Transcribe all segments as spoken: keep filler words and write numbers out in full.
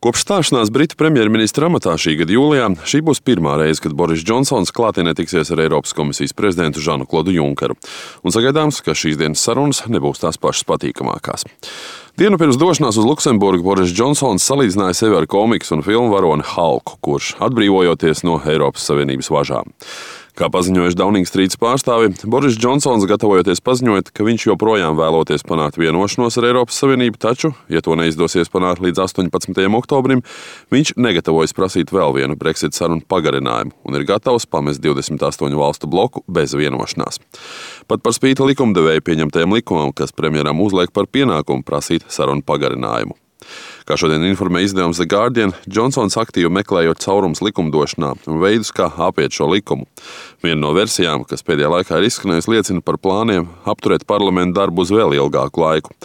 Kopš stāšanās Britu premjerministra amatā šī gada jūlijā, šī būs pirmā reize, kad Boris Džonsons klātienē tiksies ar Eiropas komisijas prezidentu Žanu Klodu Junkeru. Un sagaidāms, ka šīs dienas sarunas nebūs tās pašas patīkamākās. Dienu pirms došanās uz Luksemburgu Boris Džonsons salīdzināja sevi ar komiks un filmu varoni Hulku, kurš atbrīvojoties no Eiropas Savienības važām. Kā paziņojuši Downing Street pārstāvi, Boris Džonsons gatavojoties paziņot, ka viņš joprojām vēloties panākt vienošanos ar Eiropas Savienību, taču, ja to neizdosies panākt līdz astoņpadsmitajam oktobrim, viņš negatavojas prasīt vēl vienu Brexit sarunu pagarinājumu un ir gatavs pamest divdesmit astoņu valstu bloku bez vienošanās. Pat par spīti likumdevēju pieņemtajam likumam, kas premjeram uzliek par pienākumu prasīt sarunu pagarinājumu. Kā šodien informē izdevums The Guardian, Džonsons aktīvi meklējot caurums likumdošanā un veidus, kā apiet šo likumu. Viena no versijām, kas pēdējā laikā ir izskanējusi, liecina par plāniem apturēt parlamentu darbu uz vēl ilgāku laiku.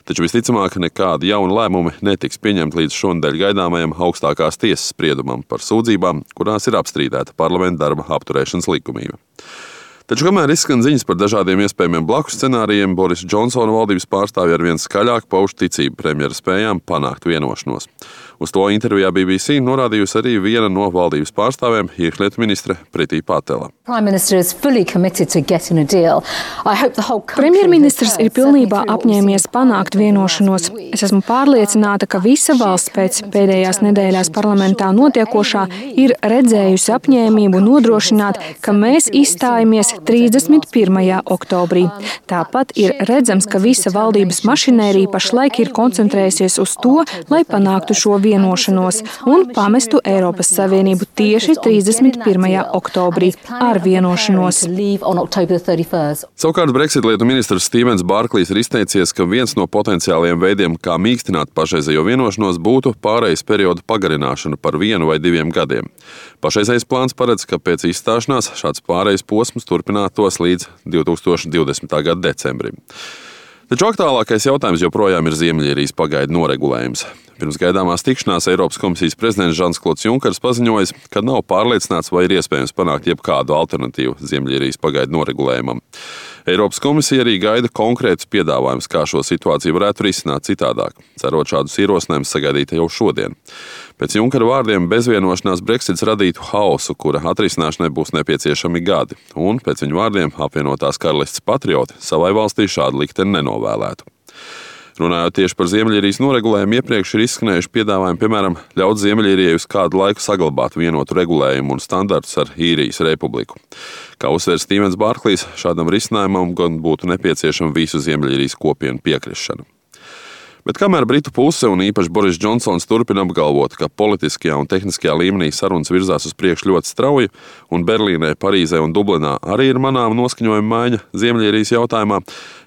Taču visticamāk, nekādi jauni lēmumi netiks pieņemti līdz šonadēļ gaidāmajam augstākās tiesas spriedumam par sūdzībām, kurās ir apstrīdēta parlamenta darba apturēšanas likumība. Taču, kamēr izskan ziņas par dažādiem iespējamiem blakus scenārijiem, Boris Džonsona valdības pārstāvji arvien skaļāk pauž ticību premjera spējām panākt vienošanos. Uz to intervijā B B C norādījusi arī viena no valdības pārstāvēm, iekšlietu ministre Priti Patela. Premjerministrs ir pilnībā apņēmies panākt vienošanos. Es esmu pārliecināta, ka visa valsts pēc pēdējās nedēļās parlamentā notiekošā ir redzējusi apņēmību nodrošināt, ka mēs izstājamies trīsdesmit pirmajā oktobrī. Tāpat ir redzams, ka visa valdības mašinērija pašlaik ir koncentrējusies uz to, lai panāktu šo vienošanos un pamestu Eiropas Savienību tieši trīsdesmit pirmajā oktobrī ar vienošanos. Savukārt Brexit lietu ministrs Stevens Barklīs ir izteicies, ka viens no potenciālajiem veidiem, kā mīkstināt pašreizējo vienošanos, būtu pārejas periodu pagarināšana par vienu vai diviem gadiem. Pašreizējais plāns paredz, ka pēc izstāšanās šāds pārejas posms turpinātos līdz divi tūkstoši divdesmitā gada decembrim. Taču aktuālākais jautājums joprojām ir Ziemeļīrijas pagaidu noregulējums. Pirms gaidāmās tikšanās Eiropas komisijas prezidents Žans Klods Junkers paziņojis, ka nav pārliecināts, vai ir iespējams panākt jebkādu alternatīvu Ziemeļīrijas pagaidu noregulējumam. Eiropas komisija arī gaida konkrētus piedāvājumus, kā šo situāciju varētu risināt citādāk, cerot šādus ierosinājumus sagaidīt jau šodien. Pēc Junkera vārdiem bezvienošanās Brexits radītu haosu, kura atrisināšanai būs nepieciešami gadi, un pēc viņa vārdiem apvienotās karalistes patrioti savai valstī šādu likteni nenovēlētu. Runājot tieši par Ziemeļīrijas noregulējumu, iepriekš ir izskanējuši piedāvājumi, piemēram, ļaut Ziemeļīrijai uz kādu laiku saglabāt vienotu regulējumu un standartus ar Īrijas republiku. Kā uzsver Stevens Barklīs, šādam risinājumam gan būtu nepieciešama visu Ziemeļīrijas kopienu piekrišana. Bet kamēr Britu puse un īpaši Boris Džonsons turpina apgalvot, ka politiskajā un tehniskajā līmenī sarunas virzās uz priekšu ļoti strauji, un Berlīnē, Parīzē un Dublinā arī ir manāma noskaņojuma maiņa Ziemeļīrijas jautājumā,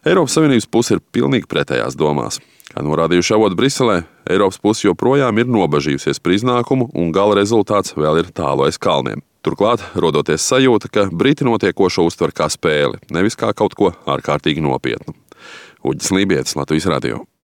Eiropas Savienības puse ir pilnīgi pretējās domās. Kā norādījuši avoti Briselē, Eiropas puse joprojām ir nobažījusies par iznākumu, un gala rezultāts vēl ir tālu aiz kalniem. Turklāt, rodoties sajūta, ka Briti notiekošo uztver kā spēli, nevis kā kaut ko ārkārtīgi nopietnu. Uģis Lībietis, Latvijas radio.